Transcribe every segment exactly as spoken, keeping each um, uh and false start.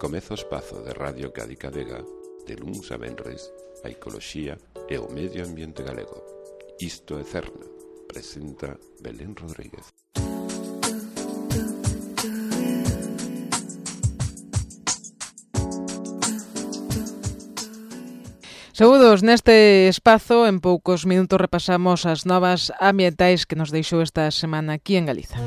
Comeza o espazo de Radio Cádiz Vega, de luns a venres, a ecoloxía e o medio ambiente galego. Isto é Cerna, presenta Belén Rodríguez. Saúdos, neste espazo, en poucos minutos repasamos as novas ambientais que nos deixou esta semana aquí en Galiza.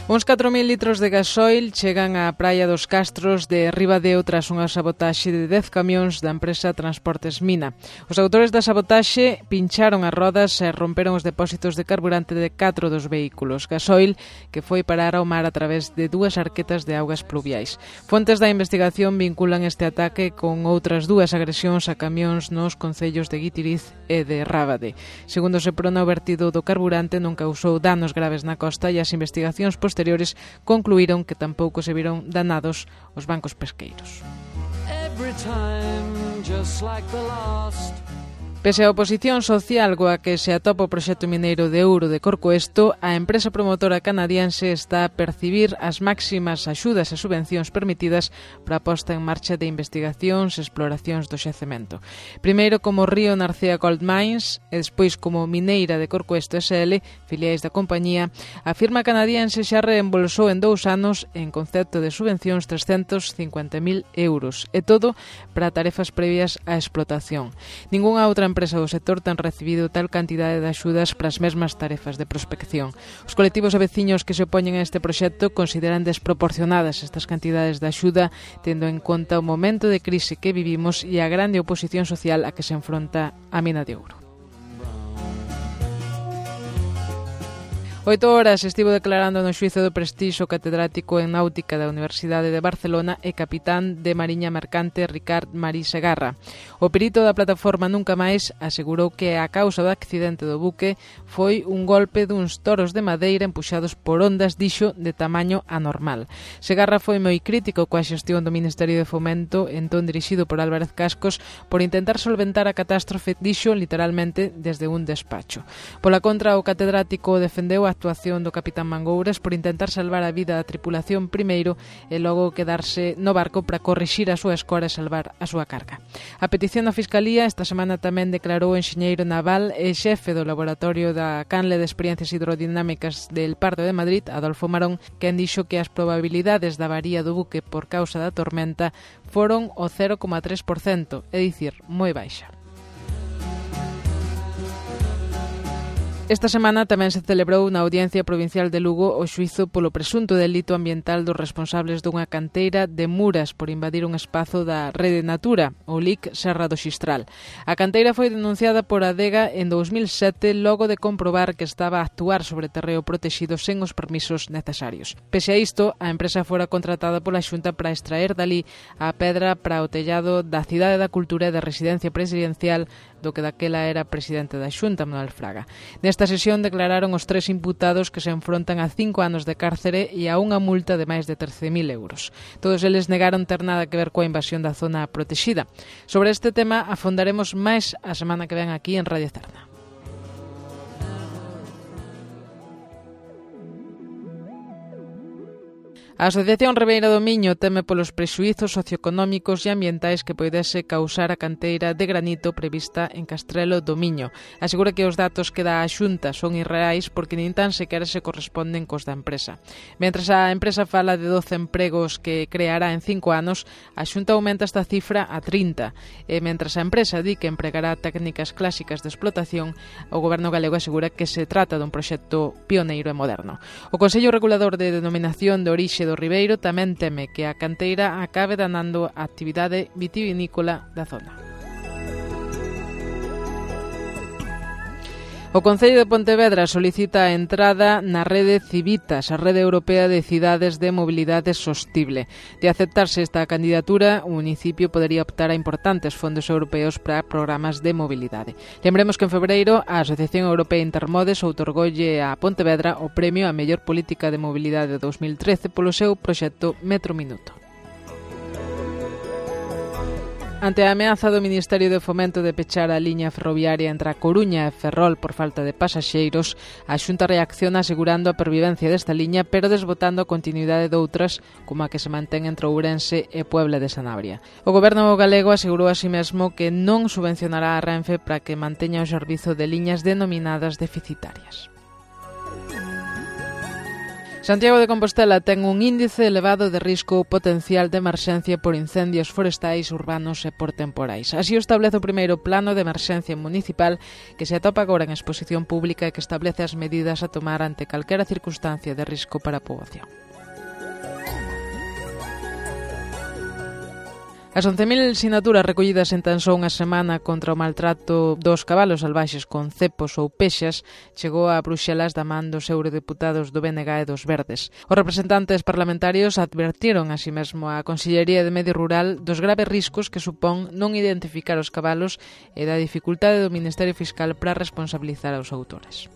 Uns catro mil litros de gasoil chegan á praia dos Castros de Ribadeo tras unha sabotaxe de dez camións da empresa Transportes Mina. Os autores da sabotaxe pincharon as rodas e romperon os depósitos de carburante de catro dos vehículos. Gasoil que foi parar ao mar a través de dúas arquetas de augas pluviais. Fontes da investigación vinculan este ataque con outras dúas agresións a camións nos concellos de Guitiriz e de Rábade. Segundo se prona, o vertido do carburante non causou danos graves na costa e as investigacións posteriores posteriores concluíron que tampouco se viron danados os bancos pesqueiros. Pese á oposición social coa que se atopa o proxecto mineiro de ouro de Corcoesto, a empresa promotora canadiense está a percibir as máximas axudas e subvencións permitidas para a posta en marcha de investigacións e exploracións do xacemento. Primeiro como Río Narcea Gold Mines e despois como Mineira de Corcoesto S L, filiais da compañía, a firma canadiense xa reembolsou en dous anos en concepto de subvencións trescentos cincuenta mil euros, e todo para tarefas previas á explotación. Ningunha outra empresa do sector ten recibido tal cantidade de axudas para as mesmas tarefas de prospección. Os colectivos e veciños que se opoñen a este proxecto consideran desproporcionadas estas cantidades de axuda, tendo en conta o momento de crise que vivimos e a grande oposición social a que se enfronta a mina de ouro. Oito horas estivo declarando no xuízo do prestixio catedrático en náutica da Universidade de Barcelona e capitán de Mariña Mercante Ricard Marí Segarra. O perito da plataforma Nunca Máis asegurou que a causa do accidente do buque foi un golpe duns toros de madeira empuxados por ondas, dixo, de tamaño anormal. Segarra foi moi crítico coa xestión do Ministerio de Fomento, entón dirixido por Álvarez Cascos, por intentar solventar a catástrofe, dixo literalmente desde un despacho. Pola contra, o catedrático defendeu a actuación do capitán Mangouras por intentar salvar a vida da tripulación primeiro e logo quedarse no barco para corrixir a súa escora e salvar a súa carga. A petición da Fiscalía esta semana tamén declarou o enxeñeiro naval e xefe do laboratorio da Canle de Experiencias Hidrodinámicas del Pardo de Madrid, Adolfo Marón, quen dixo que as probabilidades da avaría do buque por causa da tormenta foron o cero coma tres por cento, é dicir, moi baixa. Esta semana tamén se celebrou na Audiencia Provincial de Lugo o xuízo polo presunto delito ambiental dos responsables dunha canteira de Muras por invadir un espazo da Rede Natura, o L I C Serra do Xistral. A canteira foi denunciada por Adega en dous mil sete logo de comprobar que estaba a actuar sobre terreo protexido sen os permisos necesarios. Pese a isto, a empresa fora contratada pola Xunta para extraer dali a pedra para o tellado da Cidade da Cultura e da Residencia Presidencial do que daquela era presidente da Xunta, Manuel Fraga. Nesta sesión declararon os tres imputados que se enfrontan a cinco anos de cárcere e a unha multa de máis de trece mil euros. Todos eles negaron ter nada que ver coa invasión da zona protexida. Sobre este tema afondaremos máis a semana que ven aquí en Radio Cerna. A Asociación Ribeira do Miño teme polos prexuízos socioeconómicos e ambientais que poidese causar a canteira de granito prevista en Castrelo do Miño. Asegura que os datos que dá a Xunta son irreais porque nin tan sequera se corresponden cos da empresa. Mentres a empresa fala de doce empregos que creará en cinco anos, a Xunta aumenta esta cifra a trinta. E mentras a empresa di que empregará técnicas clásicas de explotación, o Goberno galego asegura que se trata dun proxecto pioneiro e moderno. O Consello Regulador de Denominación de Orixe do Ribeiro tamén teme que a canteira acabe danando a actividade vitivinícola da zona. O Concello de Pontevedra solicita a entrada na rede Civitas, a rede europea de cidades de mobilidade sostible. De aceptarse esta candidatura, o municipio podería optar a importantes fondos europeos para programas de mobilidade. Lembremos que en febreiro a Asociación Europea Intermodes outorgoulle a Pontevedra o premio a mellor política de mobilidade dous mil trece polo seu proxecto Metro Minuto. Ante a ameaza do Ministerio de Fomento de pechar a liña ferroviaria entre a Coruña e Ferrol por falta de pasaxeiros, a Xunta reacciona asegurando a pervivencia desta liña, pero desbotando a continuidade doutras, como a que se mantén entre Ourense e Puebla de Sanabria. O Goberno galego asegurou a si mesmo que non subvencionará a Renfe para que manteña o servizo de liñas denominadas deficitarias. Santiago de Compostela ten un índice elevado de risco potencial de emerxencia por incendios forestais, urbanos e por temporais. Así o establece o primeiro plano de emerxencia municipal que se atopa agora en exposición pública e que establece as medidas a tomar ante calquera circunstancia de risco para a poboación. As once mil sinaturas recollidas en tan só unha semana contra o maltrato dos cabalos salvaxes con cepos ou pexas chegou a Bruxelas da man dos eurodeputados do B N G e dos Verdes. Os representantes parlamentarios advertiron así mesmo a Consellería de Medio Rural dos graves riscos que supón non identificar os cabalos e da dificultade do Ministerio Fiscal para responsabilizar aos autores.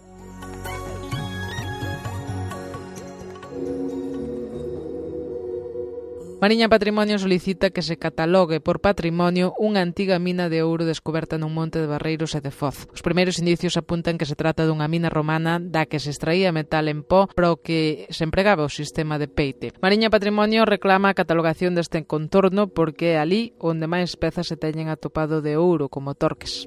Mariña Patrimonio solicita que se catalogue por patrimonio unha antiga mina de ouro descoberta nun monte de Barreiros e de Foz. Os primeiros indicios apuntan que se trata dunha mina romana da que se extraía metal en pó para o que se empregaba o sistema de peite. Mariña Patrimonio reclama a catalogación deste contorno porque é ali onde máis pezas se teñen atopado de ouro, como torques.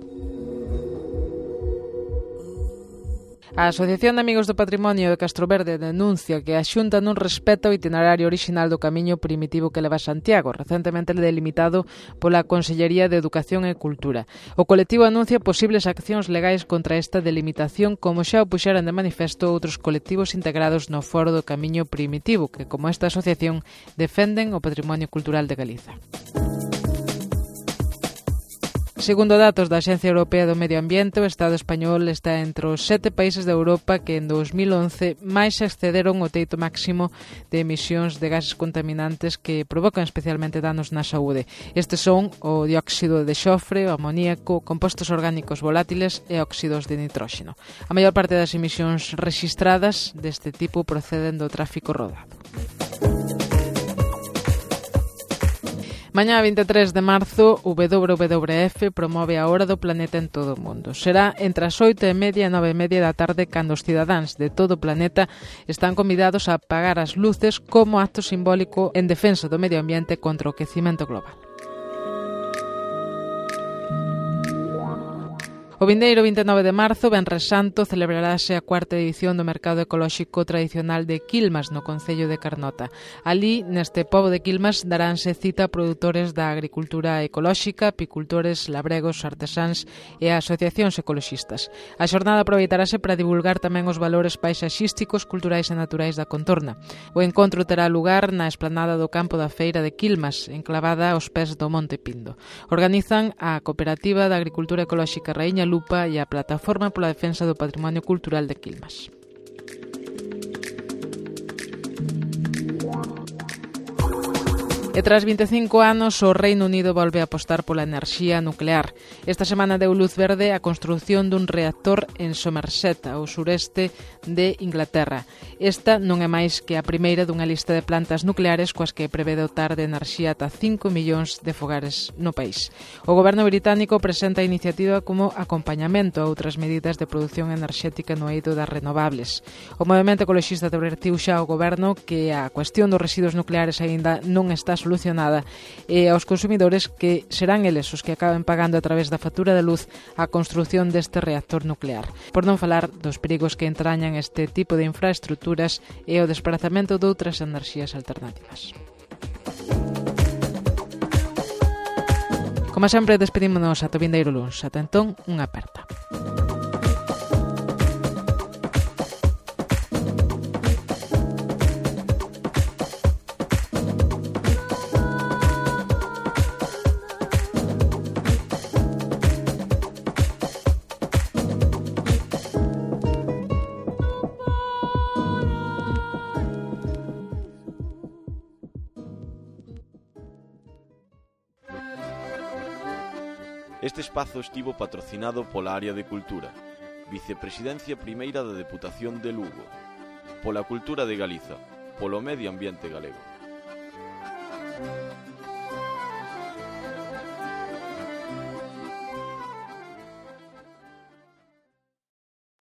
A Asociación de Amigos do Patrimonio de Castroverde denuncia que a Xunta non respeta o itinerario orixinal do camiño primitivo que leva a Santiago, recentemente delimitado pola Consellería de Educación e Cultura. O colectivo anuncia posibles accións legais contra esta delimitación, como xa o puxeran de manifesto outros colectivos integrados no Foro do Camiño Primitivo, que, como esta asociación, defenden o patrimonio cultural de Galiza. Segundo datos da Axencia Europea do Medio Ambiente, o Estado español está entre os sete países de Europa que en dos mil once máis excederon o teito máximo de emisións de gases contaminantes que provocan especialmente danos na saúde. Estes son o dióxido de xofre, o amoníaco, compostos orgánicos volátiles e óxidos de nitróxeno. A maior parte das emisións rexistradas deste tipo proceden do tráfico rodado. Mañá vinte e tres de marzo, o W W F promove a Hora do Planeta en todo o mundo. Será entre as oito e media e nove e media da tarde cando os cidadáns de todo o planeta están convidados a apagar as luces como acto simbólico en defensa do medio ambiente contra o quecimento global. O vindeiro vinte e nove de marzo, Venres Santo, celebrarase a cuarta edición do mercado ecolóxico tradicional de Quilmas, no concello de Carnota. Ali, neste pobo de Quilmas, daránse cita a produtores da agricultura ecolóxica, apicultores, labregos, artesáns e asociacións ecoloxistas. A xornada aproveitarase para divulgar tamén os valores paisaxísticos, culturais e naturais da contorna. O encontro terá lugar na esplanada do campo da feira de Quilmas, enclavada aos pés do Monte Pindo. Organizan a Cooperativa da Agricultura Ecolóxica Raíña Lupa e a Plataforma pola Defensa do Patrimonio Cultural de Quilmas. E tras vinte e cinco anos, o Reino Unido volve a apostar pola enerxía nuclear. Esta semana deu luz verde a construción dun reactor en Somerset, ao sureste de Inglaterra. Esta non é máis que a primeira dunha lista de plantas nucleares coas que prevé dotar de enerxía ata cinco millóns de fogares no país. O goberno británico presenta a iniciativa como acompañamento a outras medidas de produción enerxética no eido das renovables. O movemento ecoloxista advertiu xa ao goberno que a cuestión dos residuos nucleares aínda non está solucionada e aos consumidores que serán eles os que acaben pagando a través da factura de luz a construción deste reactor nuclear. Por non falar dos perigos que entrañan este tipo de infraestructuras e o desprazamento de outras enerxías alternativas. Como sempre, despedímonos ata o vindeiro luns. Ata entón, unha aperta. Este espazo estivo patrocinado pola Área de Cultura, Vicepresidencia Primeira da Deputación de Lugo, pola Cultura de Galiza, polo Medio Ambiente Galego.